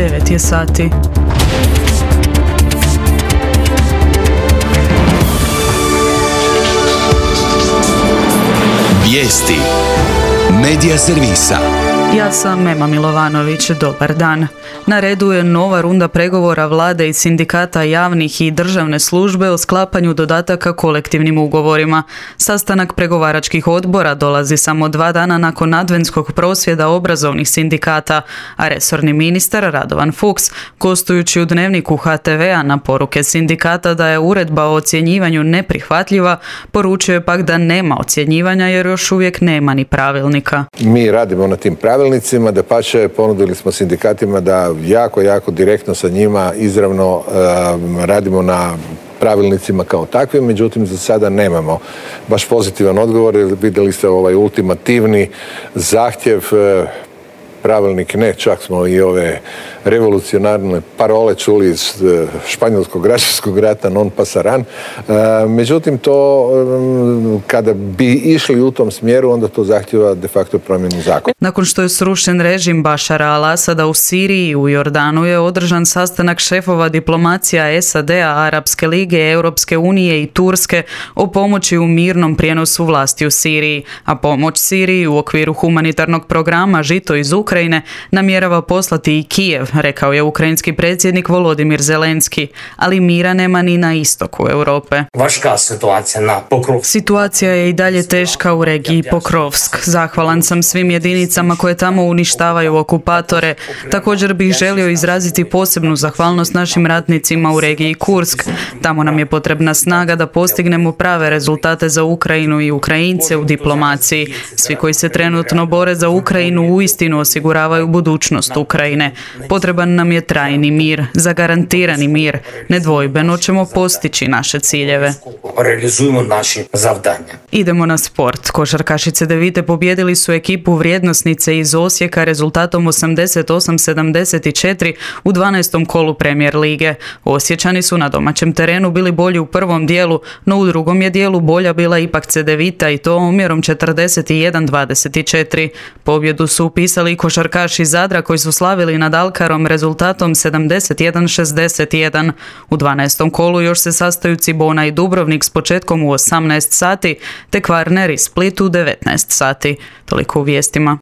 9 je sati. Vijesti Medija servisa. Ja sam Ema Milovanović, dobar dan. Na redu je nova runda pregovora vlade i sindikata javnih i državne službe o sklapanju dodataka kolektivnim ugovorima. Sastanak pregovaračkih odbora dolazi samo 2 dana nakon adventskog prosvjeda obrazovnih sindikata, a resorni ministar Radovan Fuchs, gostujući u Dnevniku HTV-a na poruke sindikata da je uredba o ocjenjivanju neprihvatljiva, poručio je pak da nema ocjenjivanja jer još uvijek nema ni pravilnika. Mi radimo na tim pravilnicima, dapače ponudili smo sindikatima da jako direktno sa njima izravno radimo na pravilnicima kao takvim, međutim za sada nemamo baš pozitivan odgovor. Vidjeli ste ovaj ultimativni zahtjev, pravilnik ne, čak smo i ove revolucionarne parole čuli iz španjolskog građanskog rata non pasaran. Međutim, to kada bi išli u tom smjeru, onda to zahtjeva de facto promjenu zakona. Nakon što je srušen režim Bašara al-Asada u Siriji i u Jordanu je održan sastanak šefova diplomacija SAD-a, Arapske lige, Europske unije i Turske o pomoći u mirnom prijenosu vlasti u Siriji, a pomoć Siriji u okviru humanitarnog programa Žito iz Ukrajine namjerava poslati i Kijev, rekao je ukrajinski predsjednik Volodimir Zelenski, ali mira nema ni na istoku Europe. Situacija je i dalje teška u regiji Pokrovsk. Zahvalan sam svim jedinicama koje tamo uništavaju okupatore. Također bih želio izraziti posebnu zahvalnost našim ratnicima u regiji Kursk. Tamo nam je potrebna snaga da postignemo prave rezultate za Ukrajinu i Ukrajince u diplomaciji. Svi koji se trenutno bore za Ukrajinu uistinu osiguravaju budućnost Ukrajine. Potreban nam je trajni mir, zagarantirani mir. Nedvojbeno ćemo postići naše ciljeve. Idemo na sport. Košarkašice Devite pobijedili su ekipu Vrijednosnice iz Osijeka rezultatom 88-74 u 12. kolu Premier lige. Osječani su na domaćem terenu bili bolji u prvom dijelu, no u drugom je dijelu bolja bila ipak Cedevita i to omjerom 41-24. Pobjedu su upisali košarkaši Zadra koji su slavili nad Alkarom rezultatom 71-61. U 12. kolu još se sastaju Cibona i Dubrovnik s početkom u 18 sati, te Kvarner i Split u 19 sati. Toliko u vijestima.